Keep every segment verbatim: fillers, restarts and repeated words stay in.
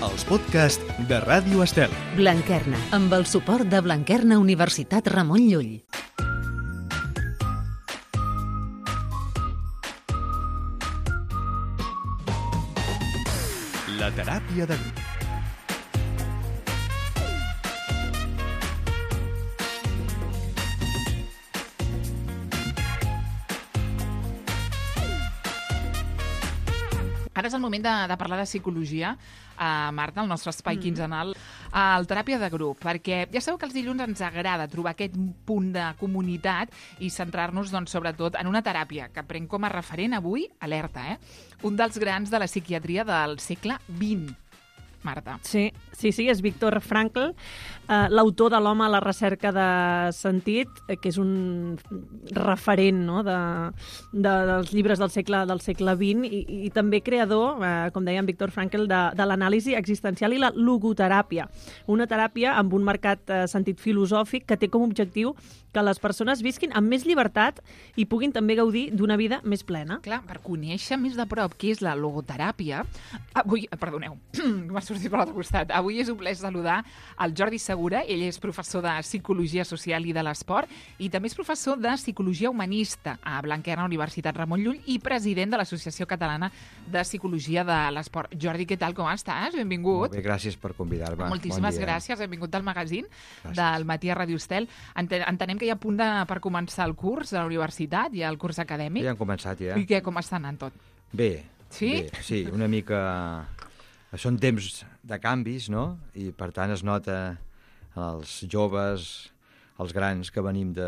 els podcasts de Ràdio Estel. Blanquerna, amb el suport de Blanquerna Universitat Ramon Llull. La teràpia de grup. Ara és el moment de, de parlar de psicologia, uh, Marta, el nostre espai mm. quinzenal, al teràpia de grup, perquè ja sabeu que els dilluns ens agrada trobar aquest punt de comunitat i centrar-nos, doncs, sobretot en una teràpia que prenc com a referent avui, alerta, eh? Un dels grans de la psiquiatria del segle vint. Marta. Sí, sí, sí, és Viktor Frankl, eh, l'autor de l'home a la recerca de sentit, eh, que és un referent, no?, de, de, dels llibres del segle, del segle vint i, i també creador, eh, com deia Viktor Frankl, de, de l'anàlisi existencial i la logoteràpia, una teràpia amb un marcat eh, sentit filosòfic que té com a objectiu que les persones visquin amb més llibertat i puguin també gaudir d'una vida més plena. Clar, per conèixer més de prop què és la logoteràpia, avui, perdoneu, m'ha sortit per l'altre costat, avui és un plaer saludar el Jordi Segura, ell és professor de Psicologia Social i de l'Esport i també és professor de Psicologia Humanista a Blanquerna Universitat Ramon Llull i president de l'Associació Catalana de Psicologia de l'Esport. Jordi, què tal, com estàs? Benvingut. Molt bé, gràcies per convidar-me. Moltíssimes bon gràcies, benvingut al magazín gràcies. Del Matí a Ràdio Estel. Entenem que hi ha a punt de, per començar el curs a la universitat, hi ha el curs acadèmic. Ja han començat, ja. I què, com està anant tot? Bé, sí? bé, sí, una mica... Són temps de canvis, no? I per tant es nota els joves, els grans, que venim de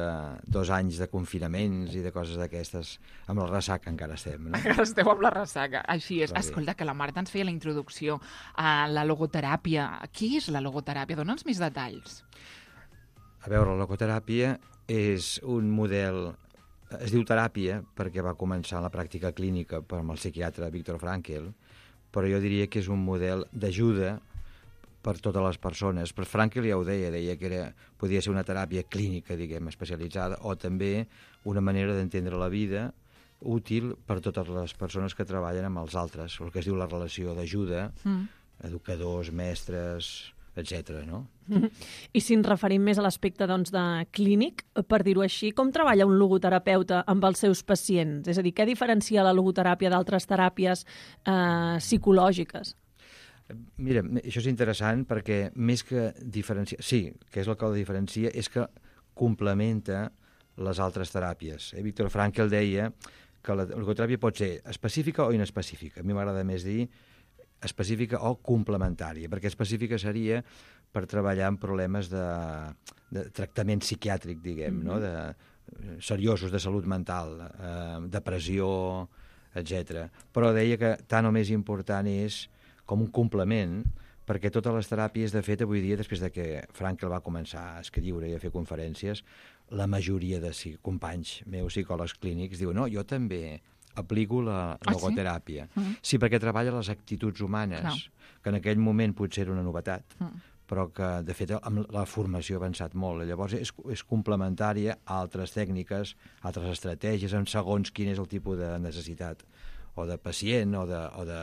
dos anys de confinaments i de coses d'aquestes. Amb la ressaca encara estem, no? Encara esteu amb la ressaca, així és. Però escolta, que la Marta ens feia la introducció a la logoteràpia. Què és la logoteràpia? Dóna'ns més detalls. A veure, la logoteràpia és un model... Es diu teràpia perquè va començar la pràctica clínica per amb el psiquiatre Viktor Frankl, però jo diria que és un model d'ajuda per totes les persones. Per Frankl ja ho deia, deia que era, podia ser una teràpia clínica, diguem, especialitzada, o també una manera d'entendre la vida útil per totes les persones que treballen amb els altres, el que es diu la relació d'ajuda, mm. educadors, mestres, etcètera, no? I si ens referim més a l'aspecte, doncs, de clínic, per dir-ho així, com treballa un logoterapeuta amb els seus pacients? És a dir, què diferencia la logoteràpia d'altres teràpies eh, psicològiques? Mira, això és interessant perquè més que diferenciar... Sí, que és el que la diferencia, és que complementa les altres teràpies. Eh? Viktor Frankl deia que la logoteràpia pot ser específica o inespecífica. A mi m'agrada més dir específica o complementària, perquè específica seria per treballar amb problemes de, de tractament psiquiàtric, diguem, mm-hmm. no? de, seriosos, de salut mental, eh, depressió, etcètera. Però deia que tant o més important és com un complement, perquè totes les teràpies, de fet, avui dia, després de que Frankl va començar a escriure i a fer conferències, la majoria de companys meus psicòlegs clínics diuen no, jo també aplico la ah, logoteràpia. Sí? Mm. Sí, perquè treballa les actituds humanes, no. que en aquell moment potser era una novetat, mm. però que, de fet, amb la formació ha avançat molt. Llavors, és, és complementària a altres tècniques, a altres estratègies, en segons quin és el tipus de necessitat, o de pacient, o de, o de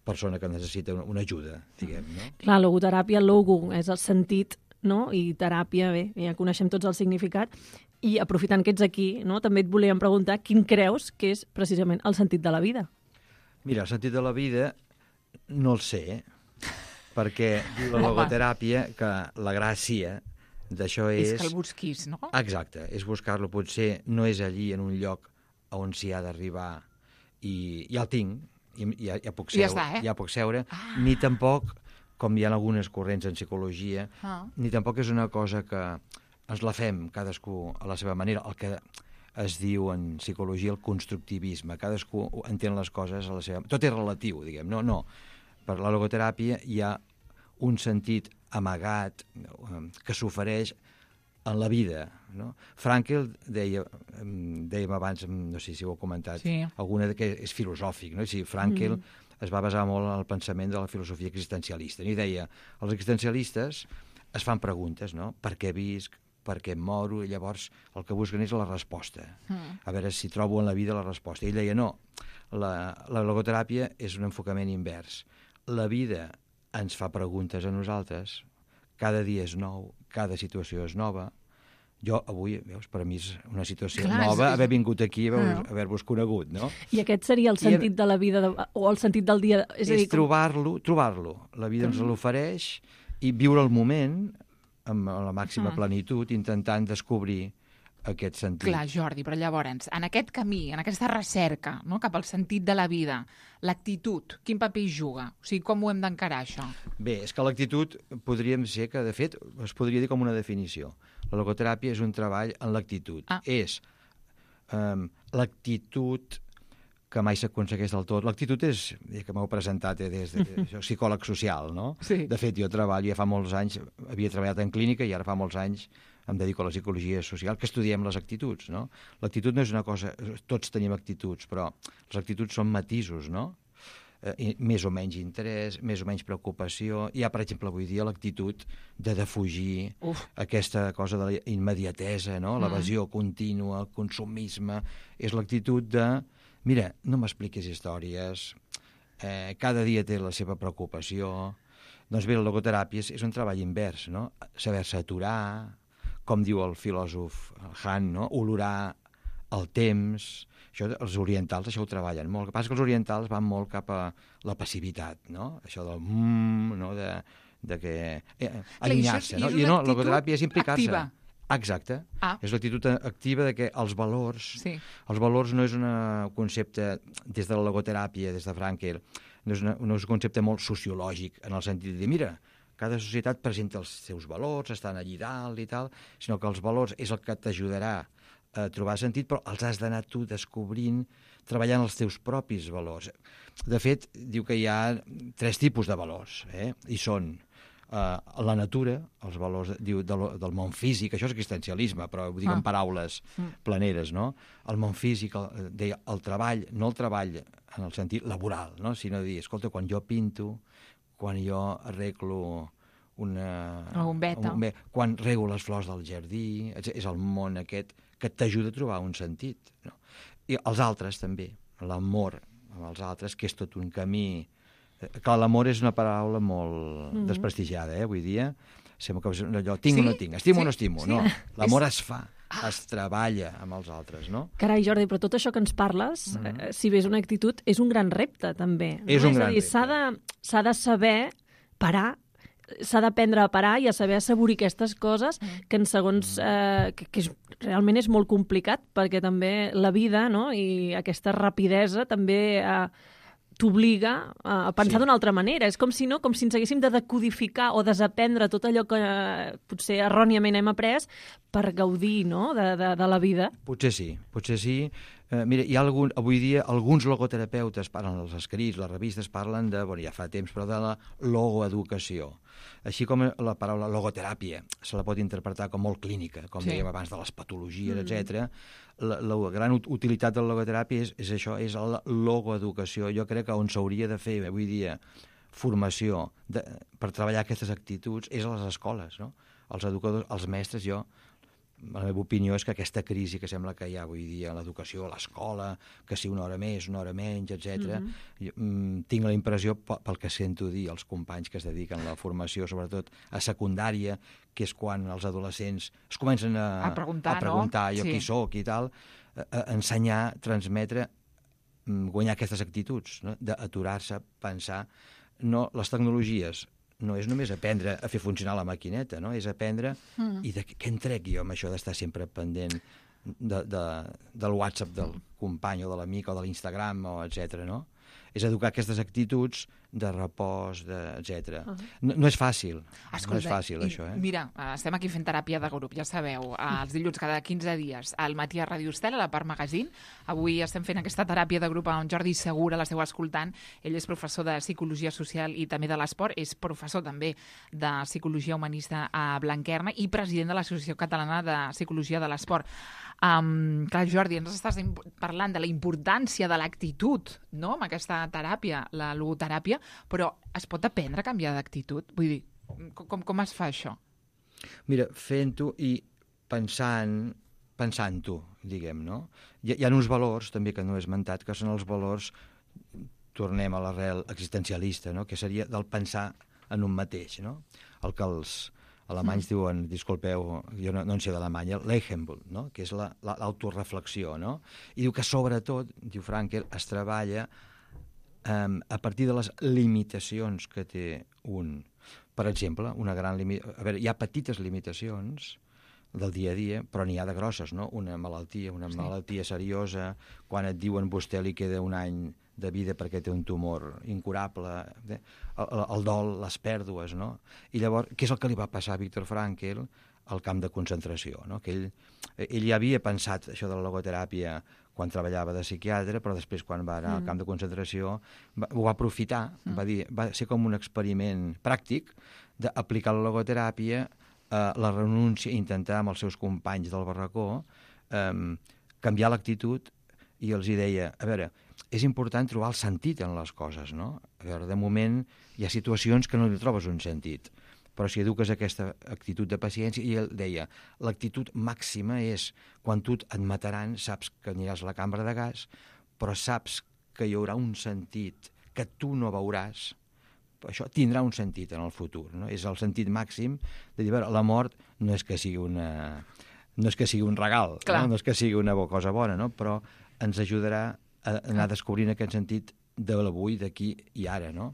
persona que necessita una, una ajuda, diguem, no? Clar, logoteràpia, logo, és el sentit, no? I teràpia, bé, ja coneixem tots el significat. I aprofitant que ets aquí, no, també et volíem preguntar quin creus que és precisament el sentit de la vida? Mira, el sentit de la vida no el sé, perquè la logoteràpia, que la gràcia d'això és... És que el busquis, no? Exacte, és buscar-lo. Potser no és allí en un lloc on s'hi ha d'arribar i ja el tinc, i ja, ja puc seure, ja, està, eh? ja puc seure ah. ni tampoc, com hi ha algunes corrents en psicologia, ah. ni tampoc és una cosa que ens la fem cadascú a la seva manera, el que es diu en psicologia el constructivisme, cadascú entén les coses a la seva... Tot és relatiu, diguem, no, no. Per la logoteràpia hi ha un sentit amagat que s'ofereix en la vida, no? Frankl deia, dèiem abans, no sé si ho heu comentat, sí. alguna que és filosòfic, no? Si Frankl mm. es va basar molt en el pensament de la filosofia existencialista, i deia, els existencialistes es fan preguntes, no? Per què visc? Per què em moro? I llavors el que busquen és la resposta. Mm. A veure si trobo en la vida la resposta. I ell deia, no, la, la logoteràpia és un enfocament invers. La vida ens fa preguntes a nosaltres, cada dia és nou, cada situació és nova. Jo avui, veus, per a mi és una situació Clar, nova és... haver vingut aquí i haver-vos Ah. haver conegut, no? I aquest seria el sentit de la vida, de, o el sentit del dia. És, És, a dir, és trobar-lo, trobar-lo. La vida ens l'ofereix i viure el moment amb la màxima Mm. plenitud, intentant descobrir aquest sentit. Clar, Jordi, però llavors, en aquest camí, en aquesta recerca, no?, cap al sentit de la vida, l'actitud, quin paper hi juga? O sigui, com ho hem d'encarar, això? Bé, és que l'actitud podríem ser que, de fet, es podria dir com una definició. La logoteràpia és un treball en l'actitud. Ah. És um, l'actitud que mai s'aconsegueix del tot. L'actitud és, ja que m'heu presentat, eh, des de soc psicòleg social, no? Sí. De fet, jo treballo, ja fa molts anys, havia treballat en clínica i ara fa molts anys em dedico a la psicologia social, que estudiem les actituds, no? L'actitud no és una cosa... Tots tenim actituds, però les actituds són matisos, no? Eh, més o menys interès, més o menys preocupació. Hi ha, per exemple, avui dia l'actitud de defugir Uf. aquesta cosa de la immediatesa, no? L'evasió contínua, el consumisme. És l'actitud de, mira, no m'expliquis històries, eh, cada dia té la seva preocupació. Doncs bé, la logoteràpia és, és un treball invers, no? Saber-se aturar, com diu el filòsof Han, no? Olorar el temps. Això, els orientals això ho treballen molt. El que passa és que els orientals van molt cap a la passivitat, no? Això del mm, no? de, de que... Eh, allunyar-se, no? I I no, una la logoteràpia és actitud implicar-se. activa. Exacte. Ah. És l'actitud activa de que els valors... Sí. Els valors no és un concepte, des de la logoteràpia, des de Frankel, no és, una, no és un concepte molt sociològic, en el sentit de dir, mira, cada societat presenta els seus valors, estan allí dalt i tal, sinó que els valors és el que t'ajudarà a trobar sentit, però els has d'anar tu descobrint, treballant els teus propis valors. De fet, diu que hi ha tres tipus de valors, eh? I són uh, la natura, els valors diu, del, del món físic, això és existencialisme, però ho dic Ah. en paraules planeres, no? El món físic, el, deia, el treball, no el treball en el sentit laboral, no? Sinó dir, escolta, quan jo pinto, quan jo arreglo una... O un beta. Un, quan rego les flors del jardí, és, és el món aquest que t'ajuda a trobar un sentit, no? I els altres també, l'amor amb els altres, que és tot un camí... Eh, Clar, l'amor és una paraula molt mm -hmm. desprestigiada, eh, avui dia. Sembla que és allò, tinc Sí? o no tinc, estimo Sí, o no estimo. sí. No, l'amor És- es fa, es treballa amb els altres, no? Carai, Jordi, però tot això que ens parles, mm. eh, si bé és una actitud, és un gran repte, també. És no? un és gran a dir, repte. s'ha de, s'ha de saber parar, s'ha d'aprendre a parar i a saber assaborir aquestes coses que en segons... Eh, que, que és, realment és molt complicat, perquè també la vida, no?, i aquesta rapidesa també... Eh, t'obliga a pensar Sí. d'una altra manera. És com si no, com si ens haguéssim de decodificar o desaprendre tot allò que eh, potser erròniament hem après per gaudir, no?, de, de, de la vida. Potser sí, potser sí. Eh, mira, hi ha algun, avui dia alguns logoterapeutes parlen, els escrits, les revistes parlen de, bueno, ja fa temps, però de la logoeducació. Així com la paraula logoteràpia se la pot interpretar com molt clínica, com Sí. dèiem abans, de les patologies, mm. etcètera. La, la gran ut- utilitat de la logoteràpia és, és això, és la logoeducació. Jo crec que on s'hauria de fer avui dia formació de, per treballar aquestes actituds és a les escoles, no? Els educadors, els mestres, jo la meva opinió és que aquesta crisi que sembla que hi ha avui dia a l'educació, a l'escola, que si una hora més, una hora menys, etcètera, mm-hmm. mm, tinc la impressió, pel que sento dir els companys que es dediquen a la formació, sobretot a secundària, que és quan els adolescents es comencen a, A preguntar, a preguntar no? jo Sí. qui sóc i tal, a, a ensenyar, transmetre, mm, guanyar aquestes actituds, no? D'aturar-se, pensar. No, les tecnologies no és només aprendre a fer funcionar la maquineta, no? És aprendre mm. i de què en trec jo amb això d'estar sempre pendent de, de, del WhatsApp del company o de l'amic o de l'Instagram, o etcètera, no? És educar aquestes actituds de repòs, de, etcètera. Uh -huh. no, no és fàcil, Escolta, no és fàcil, i, això, eh? Mira, estem aquí fent teràpia de grup, ja sabeu, els dilluns cada quinze dies, al matí a Ràdio Estel, a la Part Magazine. Avui estem fent aquesta teràpia de grup amb Jordi Segura, l'esteu escoltant. Ell és professor de Psicologia Social i també de l'Esport, és professor també de Psicologia Humanista a Blanquerna i president de l'Associació Catalana de Psicologia de l'Esport. Um, clar, Jordi, ens estàs parlant de la importància de l'actitud, no?, amb aquesta teràpia, la logoteràpia, però es pot aprendre a canviar d'actitud? Vull dir, com, com es fa això? Mira, fent-ho i pensant, pensant-ho, diguem, no? Hi, hi ha uns valors, també, que no he esmentat, que són els valors, tornem a l'arrel existencialista, no?, que seria del pensar en un mateix, no? El que els alemanys mm. diuen, disculpeu, jo no, no en sé d'Alemanya, l'Eichensbund, no? Que és l'autoreflexió, la, no? I diu que sobretot, diu Frankl, es treballa um, a partir de les limitacions que té un. Per exemple, una gran limitació... A veure, hi ha petites limitacions del dia a dia, però n'hi ha de grosses, no? Una malaltia, una sí. malaltia seriosa, quan et diuen vostè li queda un any de vida perquè té un tumor incurable, el, el dol, les pèrdues, no? I llavors, què és el que li va passar a Viktor Frankl al camp de concentració, no? Que ell, ell ja havia pensat això de la logoteràpia quan treballava de psiquiatre, però després, quan va anar mm. al camp de concentració, va, ho va aprofitar, mm. va dir, va ser com un experiment pràctic d'aplicar la logoteràpia, eh, la renúncia, intentar amb els seus companys del barracó eh, canviar l'actitud, i els hi deia, a veure, és important trobar el sentit en les coses, no? A veure, de moment hi ha situacions que no li trobes un sentit, però si eduques aquesta actitud de paciència, i ell deia, l'actitud màxima és quan tu et mataran, saps que aniràs a la cambra de gas, però saps que hi haurà un sentit que tu no veuràs, això tindrà un sentit en el futur, no? És el sentit màxim de dir, a veure, la mort no és que sigui una... no és que sigui un regal, no? No és que sigui una cosa bona, no? Però ens ajudarà a anar descobrint aquest sentit de l'avui, d'aquí i ara, no?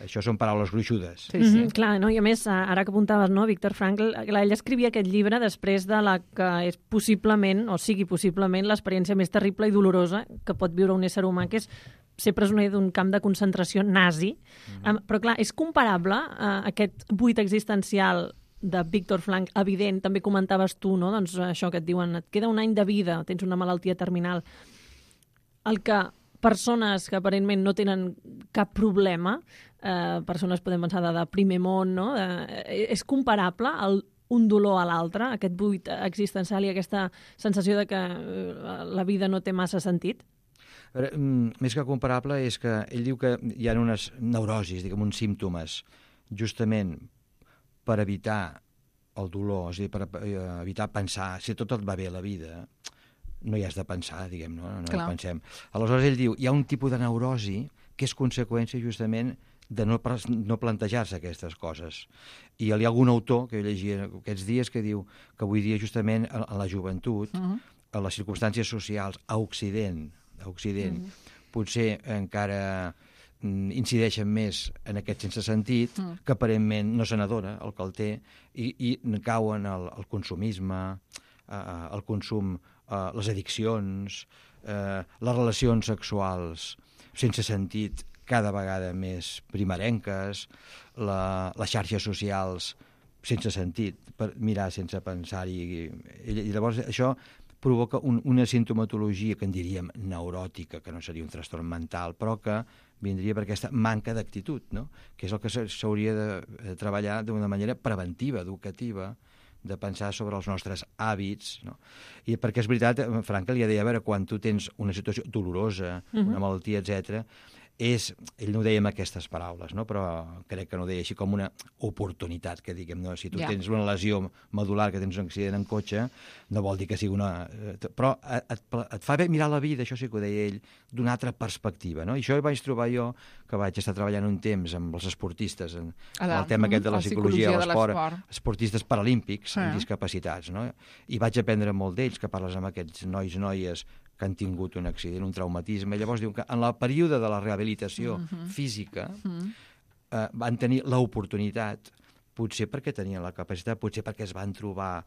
Això són paraules gruixudes. Sí, sí. Mm-hmm, clar, no? I a més, ara que apuntaves, no, Viktor Frankl, ell escrivia aquest llibre després de la que és possiblement, o sigui possiblement, l'experiència més terrible i dolorosa que pot viure un ésser humà, que és ser presoner d'un camp de concentració nazi. Mm-hmm. Um, però, clar, és comparable a aquest buit existencial de Viktor Frankl, evident, també comentaves tu, no? Doncs això que et diuen, et queda un any de vida, tens una malaltia terminal, el que persones que aparentment no tenen cap problema, eh, persones podem pensar de, de primer món, no? Eh, és comparable el, un dolor a l'altre, aquest buit existencial i aquesta sensació de que eh, la vida no té massa sentit? A veure, més que comparable és que ell diu que hi ha unes neurosis, diguem, uns símptomes, justament per evitar el dolor, és a dir, per evitar pensar si tot et va bé a la vida, no hi has de pensar, diguem, no, no, no pensem. Aleshores ell diu, hi ha un tipus de neurosi que és conseqüència justament de no, no plantejar-se aquestes coses. I hi ha algun autor que jo llegia aquests dies que diu que avui dia justament a, a la joventut, uh-huh. a les circumstàncies socials, a Occident, a Occident uh-huh. potser encara incideixen més en aquest sense sentit, uh-huh. que aparentment no se n'adona el que el té, i, i cauen al, al consumisme, uh, al consum, uh, les addiccions, uh, les relacions sexuals sense sentit cada vegada més primerenques, la, les xarxes socials sense sentit, per mirar sense pensar-hi. I, i llavors això provoca un, una sintomatologia que en diríem neuròtica, que no seria un trastorn mental, però que vindria per aquesta manca d'actitud, no? Que és el que s'hauria de treballar d'una manera preventiva, educativa, de pensar sobre els nostres hàbits, no? I perquè és veritat, Frankl ja deia, a veure, quan tu tens una situació dolorosa, uh-huh. una malaltia, etcètera, és, ell no ho deia amb aquestes paraules, no? Però crec que no ho deia així com una oportunitat, que diguem, no? Si tu yeah. tens una lesió medular, que tens un accident en cotxe, no vol dir que sigui una... Però et, et fa bé mirar la vida, això sí que ho deia ell, d'una altra perspectiva, no? I això ho vaig trobar jo, que vaig estar treballant un temps amb els esportistes, en la, el tema aquest de la psicologia, psicologia de l'esport, esportistes paralímpics amb discapacitats, no? I vaig aprendre molt d'ells, que parles amb aquests nois, noies, que han tingut un accident, un traumatisme. Llavors diu que en el període de la rehabilitació uh-huh. física uh-huh. eh, van tenir l'oportunitat, potser perquè tenien la capacitat, potser perquè es van trobar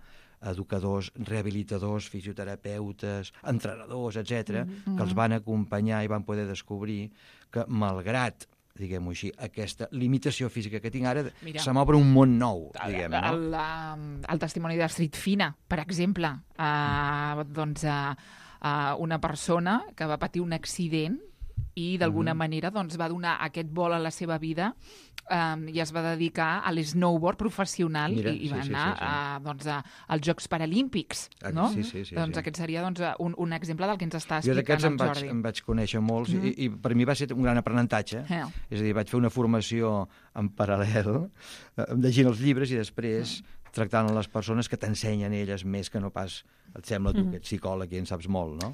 educadors, rehabilitadors, fisioterapeutes, entrenadors, etcètera, uh-huh. que els van acompanyar i van poder descobrir que, malgrat diguem-ho així, aquesta limitació física que tinc ara, Mira, se m'obre un món nou, diguem, no? El, el, el testimoni d'Astrid Fina, per exemple, uh, doncs... Uh, Uh, una persona que va patir un accident i d'alguna mm-hmm. manera doncs, va donar aquest vol a la seva vida um, i es va dedicar a l'snowboard professional. Mira, i, i va sí, anar sí, sí, sí. A, doncs, a, als Jocs Paralímpics. No? Sí, sí, sí, doncs sí. Aquest seria doncs, un, un exemple del que ens està explicant el Jordi. Jo em vaig conèixer molts mm-hmm. i, i per mi va ser un gran aprenentatge. Yeah. És a dir, vaig fer una formació en paral·lel, llegint els llibres i després mm. tractant les persones que t'ensenyen elles més que no pas, et sembla tu, que ets psicòleg i en saps molt, no?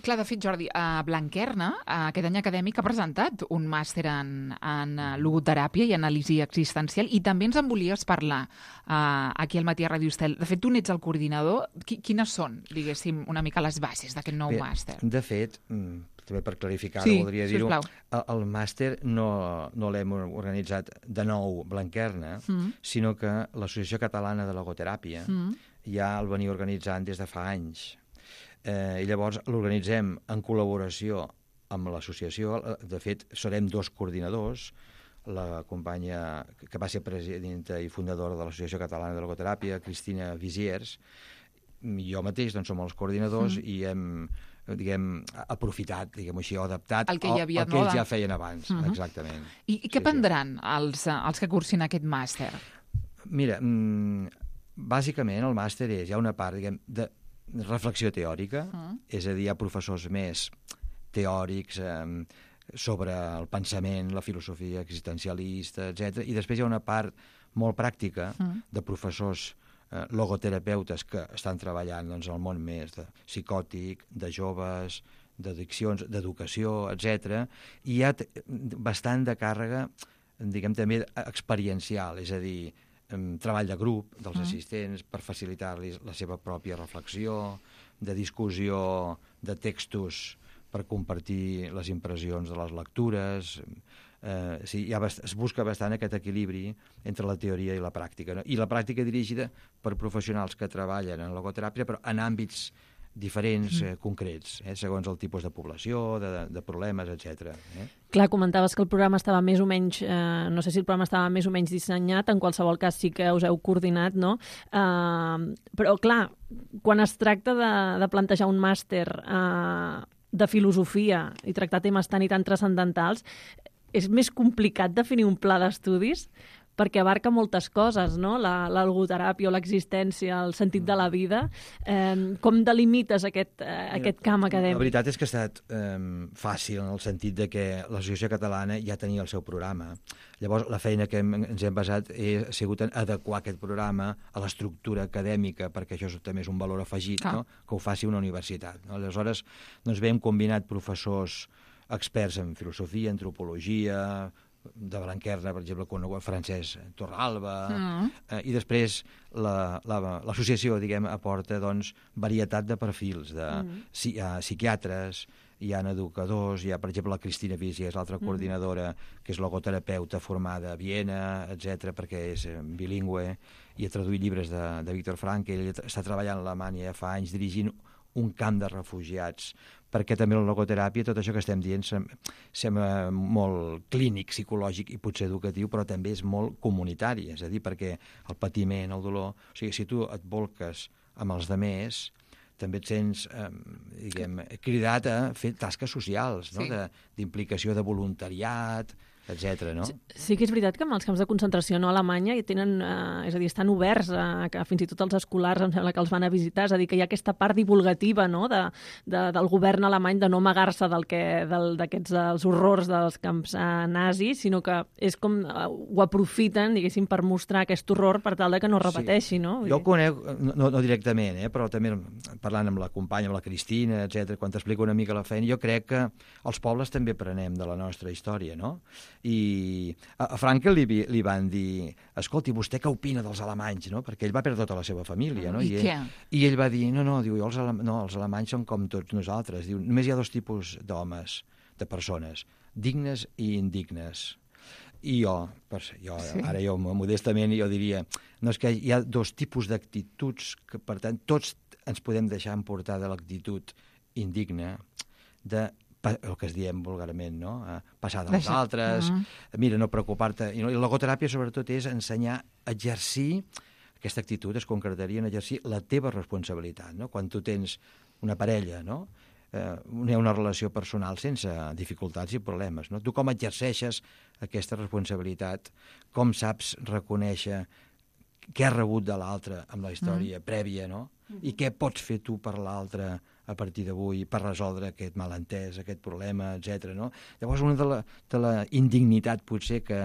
Clar, de fet, Jordi, a Blanquerna, aquest any acadèmic, ha presentat un màster en, en logoteràpia i anàlisi existencial, i també ens en volies parlar uh, aquí al Matí a Ràdio Estel. De fet, tu n'ets el coordinador. Qui, quines són, diguéssim, una mica les bases d'aquest nou Bé, màster? De fet, també per clarificar, sí, voldria dir-ho, sisplau. el, el màster no, no l'hem organitzat de nou Blanquerna, mm. sinó que l'Associació Catalana de Logoteràpia mm. ja el venia organitzant des de fa anys. Eh, I llavors l'organitzem en col·laboració amb l'associació. De fet, serem dos coordinadors, la companya que va ser presidenta i fundadora de l'Associació Catalana de Logoteràpia, Cristina Visiers, i jo mateix doncs, som els coordinadors mm. i hem diguem, aprofitat, diguem així, o adaptat el que, hi havia, el, el que no? ells ja feien abans, mm-hmm. exactament. I, i què sí, prendran sí. els, els que cursin aquest màster? Mira, mmm, bàsicament el màster és, hi ha una part, diguem, de reflexió teòrica, mm. és a dir, hi ha professors més teòrics eh, sobre el pensament, la filosofia existencialista, etcètera. I després hi ha una part molt pràctica mm. de professors eh, logoterapeutes que estan treballant doncs, al món més de psicòtic, de joves, d'addiccions, d'educació, etcètera. I hi ha bastant de càrrega, diguem també, experiencial, és a dir, treball de grup dels mm. assistents per facilitar-los la seva pròpia reflexió, de discussió de textos per compartir les impressions de les lectures. Eh, sí, hi ha bast- es busca bastant aquest equilibri entre la teoria i la pràctica, no? I la pràctica dirigida per professionals que treballen en logoteràpia, però en àmbits diferents, eh, concrets, eh, segons el tipus de població, de, de problemes, etcètera. Eh? Clar, comentaves que el programa estava més o menys, eh, no sé si el programa estava més o menys dissenyat, en qualsevol cas sí que us heu coordinat, no? Eh, però, clar, quan es tracta de, de plantejar un màster eh, de filosofia i tractar temes tan i tan transcendentals, és més complicat definir un pla d'estudis perquè abarca moltes coses, no? La, la logoteràpia o l'existència, el sentit de la vida. Eh, com delimites aquest, eh, aquest camp acadèmic? La veritat és que ha estat eh, fàcil en el sentit de que l'Associació Catalana ja tenia el seu programa. Llavors, la feina que hem, ens hem basat ha sigut en adequar aquest programa a l'estructura acadèmica, perquè això també és un valor afegit, ah. no? Que ho faci una universitat. No? Aleshores, doncs bé, hem combinat professors experts en filosofia, antropologia, de Blanquerna, per exemple, conegut Francesc Torralba, mm. eh, i després la, la, l'associació, diguem, aporta, doncs, varietat de perfils, de mm. si, uh, psiquiatres, hi ha educadors, hi ha, per exemple, la Cristina Visi, és l'altra mm. coordinadora, que és logoterapeuta formada a Viena, etcètera, perquè és bilingüe, i ha traduït llibres de, de Viktor Frankl, ell està treballant a Alemanya ja fa anys dirigint un camp de refugiats, perquè també la logoteràpia, tot això que estem dient, sembla molt clínic, psicològic i potser educatiu, però també és molt comunitari, és a dir, perquè el patiment, el dolor... O sigui, si tu et volques amb els demés, també et sents, eh, diguem, cridat a fer tasques socials, no? Sí. De, d'implicació de voluntariat, etcètera, no? Sí, sí que és veritat que amb els camps de concentració no, a Alemanya tenen, eh, és a dir, estan oberts a, que fins i tot els escolars em sembla que els van a visitar, és a dir, que hi ha aquesta part divulgativa, no?, de, de, del govern alemany de no amagar-se del que, del, d'aquests els horrors dels camps eh, nazis, sinó que és com eh, ho aprofiten, diguéssim, per mostrar aquest horror per tal de que no repeteixi, sí. no? Jo ho conec, no, no directament, eh, però també parlant amb la companya, amb la Cristina, etcètera, quan t'explico una mica la feina, jo crec que els pobles també prenem de la nostra història, no? I a, a Frankl li, li van dir, escolti, vostè què opina dels alemanys, no? Perquè ell va perdre tota la seva família, no? I, I, I què? ell, I ell va dir, no, no, diu, els, ale, no, els alemanys són com tots nosaltres, diu, només hi ha dos tipus d'homes, de persones, dignes i indignes. I jo, per, jo sí. ara jo modestament jo diria, no, és que hi ha dos tipus d'actituds que, per tant, tots ens podem deixar emportar de l'actitud indigna, de el que es diem vulgarment, no? Passar dels Deixa. altres, uh-huh. mira, no preocupar-te. I la logoteràpia, sobretot, és ensenyar a exercir, aquesta actitud es concretaria en exercir la teva responsabilitat, no? Quan tu tens una parella, no? Eh, hi ha una relació personal sense dificultats i problemes, no? Tu com exerceixes aquesta responsabilitat, com saps reconèixer què has rebut de l'altre amb la història mm. prèvia, no? Mm-hmm. I què pots fer tu per l'altre a partir d'avui per resoldre aquest malentès, aquest problema, etcètera. No? Llavors, una de la, de la indignitat, potser, que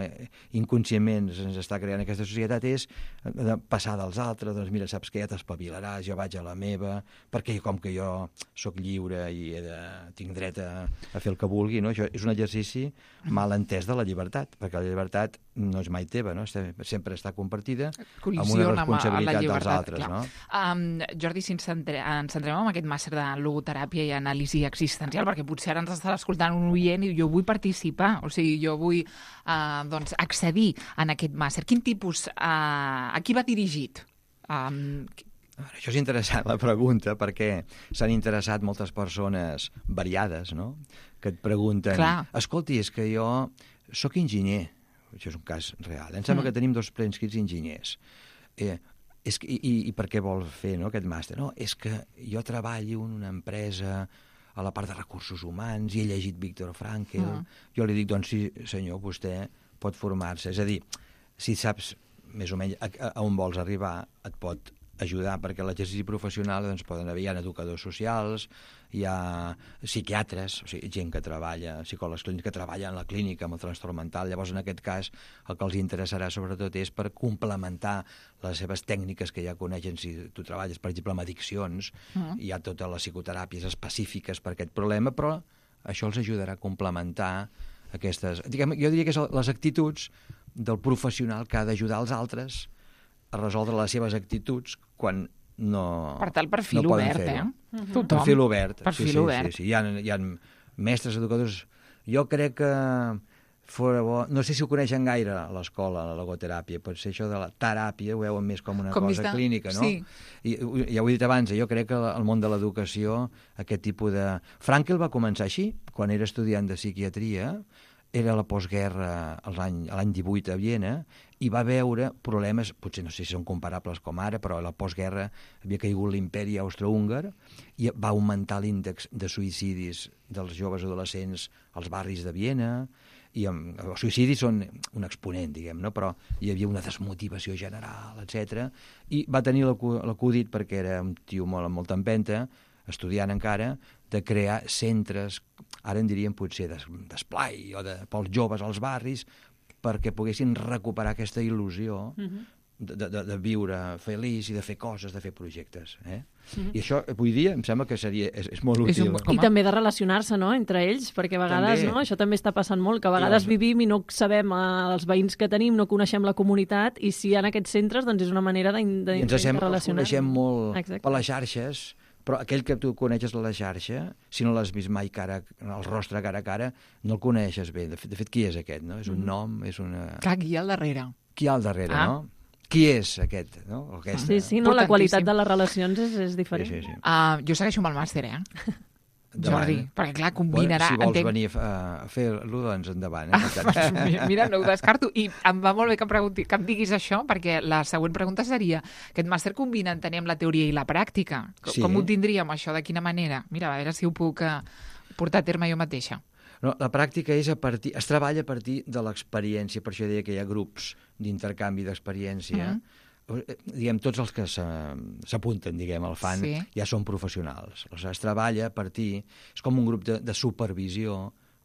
inconscientment ens està creant aquesta societat és de passar dels altres, doncs mira, saps que ja t'espavilaràs, jo vaig a la meva, perquè com que jo sóc lliure i he de, tinc dret a, a fer el que vulgui, no? Això és un exercici mal entès de la llibertat, perquè la llibertat no és mai teva, no? Sempre està compartida amb una responsabilitat dels altres. No? Um, Jordi, si ens centrem, ens centrem en aquest màster de logoteràpia i anàlisi existencial, perquè potser ara ens està escoltant un oient i jo vull participar, o sigui, jo vull uh, doncs, accedir en aquest màster. Quin tipus, uh, a qui va dirigit? Um, Això és interessant, la pregunta, perquè s'han interessat moltes persones variades, no? Que et pregunten, Clar. escolti, és que jo sóc enginyer, això és un cas real, em sembla mm. que tenim dos preinscrits enginyers. Eh, és que, i, I per què vol fer, no, aquest màster? No, és que jo treballo en una empresa a la part de recursos humans i he llegit Viktor Frankl. Mm. Jo li dic, doncs sí, senyor, vostè pot formar-se. És a dir, si saps més o menys a, a on vols arribar, et pot ajudar, perquè l'exercici professional doncs, poden haver, hi ha educadors socials, hi ha psiquiatres, o sigui, gent que treballa, psicòlegs clínics que treballa en la clínica amb el trastorn mental. Llavors, en aquest cas, el que els interessarà sobretot és per complementar les seves tècniques que ja coneixen. Si tu treballes, per exemple, amb addiccions, uh-huh. hi ha totes les psicoteràpies específiques per aquest problema, però això els ajudarà a complementar aquestes... Diguem, jo diria que són les actituds del professional que ha d'ajudar els altres a resoldre les seves actituds quan no per tal, perfil no obert, eh? Uh-huh. Tothom. Perfil obert. Perfil sí, sí, obert. Sí, sí. Hi ha, hi ha mestres, educadors... Jo crec que fora bo... No sé si ho coneixen gaire a l'escola, la logoteràpia. Pot ser això de la teràpia, ho veuen més com una com cosa de... clínica, no? Sí. I, ja ho he dit abans, jo crec que el món de l'educació, aquest tipus de... Frankl va començar així, quan era estudiant de psiquiatria, era la postguerra l'any divuit a Viena, i va veure problemes, potser no sé si són comparables com ara, però a la postguerra havia caigut l'imperi austro-húngar i va augmentar l'índex de suïcidis dels joves adolescents als barris de Viena, i amb, els suïcidis són un exponent, diguem, no? Però hi havia una desmotivació general, etcètera. I va tenir l'acudit, perquè era un tio molt, amb molta empenta, estudiant encara, de crear centres, ara en diríem potser d'esplai, o de, pels joves als barris, perquè poguessin recuperar aquesta il·lusió uh-huh. de, de, de viure feliç i de fer coses, de fer projectes. Eh? Uh-huh. I això, avui dia, em sembla que seria, és, és molt útil. Un... I també de relacionar-se, no?, entre ells, perquè a vegades, també. no?, això també està passant molt, que a vegades sí, vivim i no sabem eh, els veïns que tenim, no coneixem la comunitat, i si hi ha aquests centres, doncs és una manera de, de, I ens sembla de relacionar. Ens coneixem molt Exacte. per les xarxes, però aquell que tu coneixes a la xarxa, si no l'has vist mai cara, el rostre cara a cara, no el coneixes bé. De fet, de fet qui és aquest? No? És un mm. nom, és una... Clar, qui hi ha al darrere? Qui hi ha al darrere, ah. no? Qui és aquest? No? Aquesta. Sí, sí, no, la qualitat de les relacions és, és diferent. Sí, sí, sí. Uh, jo segueixo amb el màster, eh? Jordi, perquè clar, combinarà... Bueno, si vols entenc... venir a, a fer-lo, doncs endavant. Eh? mira, mira, no ho descarto. I em va molt bé que em, pregunti, que em diguis això, perquè la següent pregunta seria, aquest màster combina, entenem, la teoria i la pràctica. Com, sí. com ho tindríem, això? De quina manera? Mira, a veure si ho puc uh, portar a terme jo mateixa. No, la pràctica és a partir... Es treballa a partir de l'experiència, per això deia que hi ha grups d'intercanvi d'experiència. Mm-hmm. Diguem, tots els que s'apunten, diguem, al fan, sí. ja són professionals. Es treballa a partir... És com un grup de, de supervisió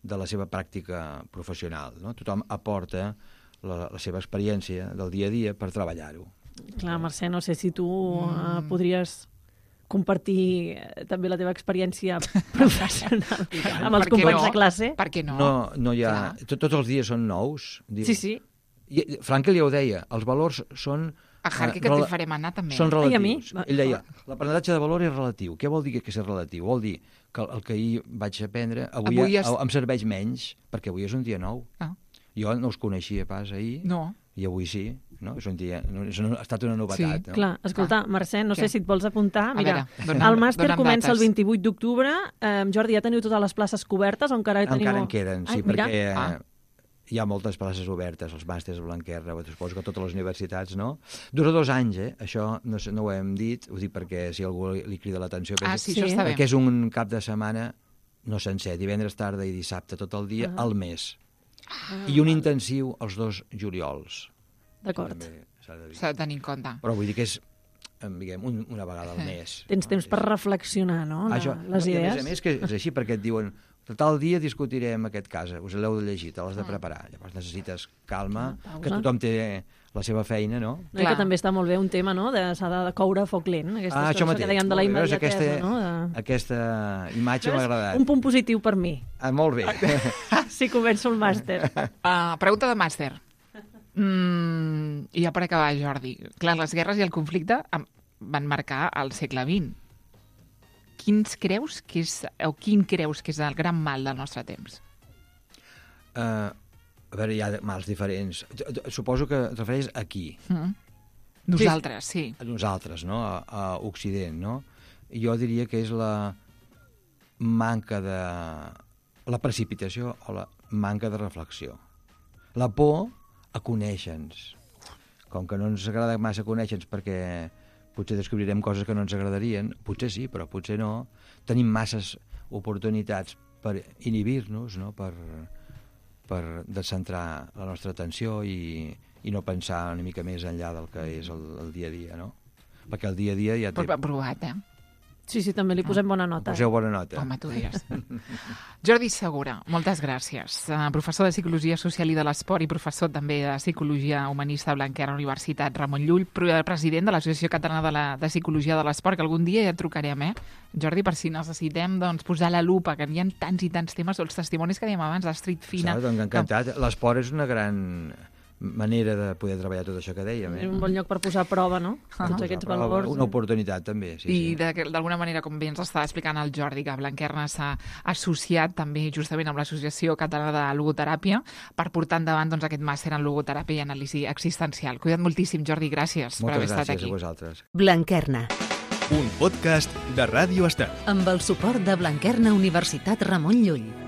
de la seva pràctica professional, no? Tothom aporta la, la seva experiència del dia a dia per treballar-ho. Clar, Mercè, no sé si tu mm. uh, podries compartir també la teva experiència professional amb els companys no? de classe. Per què no? No, no hi ha... Tot, tots els dies són nous. Diu. Sí, sí. I, Frankl ja ho deia, els valors són... A Harky, que te farem anar, també. Són relatius. I a mi? Ell deia, l'aprenentatge de valor és relatiu. Què vol dir que és relatiu? Vol dir que el que ahir vaig aprendre avui, avui es... em serveix menys, perquè avui és un dia nou. Ah. Jo no us coneixia pas ahir, no. i avui sí. No? És un dia, és una, ha estat una novetat. Sí. No? Clar, escolta, Mercè, no Què? sé si et vols apuntar. Mira, veure, dona, el màster comença dates. el vint-i-vuit d'octubre. Eh, Jordi, ja teniu totes les places cobertes o encara teniu... Encara en queden, sí, Ai, perquè... Ah. Hi ha moltes places obertes, els màsters a Blanquerna, suposo que a totes les universitats, no? Dura dos anys, eh? Això no, no ho hem dit, ho dic perquè si algú li, li crida l'atenció... Ah, sí, això està bé. Perquè és un cap de setmana, no sencer, divendres tarda i dissabte tot el dia, ah. al mes. Ah. I un intensiu els dos juliols. D'acord. S'ha de, de tenir en compte. Però vull dir que és diguem, un, una vegada al mes. Tens temps per reflexionar, no? La, Això, les i a idees. més a més que és així, perquè et diuen tal dia discutirem aquest cas, us l'heu de llegir, te l'has de preparar. Llavors necessites calma, Una pausa. que tothom té la seva feina, no? No, i que també està molt bé un tema, no?, de s'ha de coure a foc lent. Aquesta Ah, això que mateix. dèiem de la Molt bé, veus, immediatesa, aquesta, no? De... aquesta imatge m'ha agradat. Un punt positiu per mi, Ah, molt bé. si començo el màster. Uh, pregunta de màster. Mm, I ja per acabar, Jordi. Clar, les guerres i el conflicte em- van marcar el segle vint. Quins creus que és, o quin creus que és el gran mal del nostre temps? Uh, a veure, hi ha mals diferents. Suposo que et refereix aquí, Mm? Nosaltres, sí. a nosaltres, no? A, a Occident, no? Jo diria que és la manca de... la precipitació o la manca de reflexió. La por a conèixer-nos. Com que no ens agrada massa conèixer-nos perquè potser descobrirem coses que no ens agradarien, potser sí, però potser no. Tenim masses oportunitats per inhibir-nos, no? per, per descentrar la nostra atenció i, i no pensar una mica més enllà del que és el, el dia a dia, no? Perquè el dia a dia ja té... Però provat, eh? Sí, sí, també li posem bona nota. Poseu bona nota. Home, tu digues. Jordi Segura, moltes gràcies. Uh, professor de Psicologia Social i de l'Esport i professor també de Psicologia Humanista a Blanquerna Universitat Ramon Llull, president de l'Associació Catalana de, la, de Psicologia de l'Esport, que algun dia ja et trucarem, eh? Jordi, per si necessitem doncs, posar la lupa, que hi ha tants i tants temes, o els testimonis que dèiem abans, d'Street Fina... Saps? Doncs encantat. L'esport és una gran manera de poder treballar tot això que dèiem. És Eh? un bon lloc per posar a prova, no? Tots aquests valors. Una oportunitat, també. Sí, I sí. de- d'alguna manera, com bé ens està explicant el Jordi, que Blanquerna s'ha associat també justament amb l'Associació Catalana de Logoteràpia per portar endavant doncs, aquest màster en logoteràpia i anàlisi existencial. Cuida't moltíssim, Jordi, gràcies per haver Moltes estat gràcies aquí. a vosaltres. Blanquerna, Un podcast de Ràdio Estel. amb el suport de Blanquerna Universitat Ramon Llull.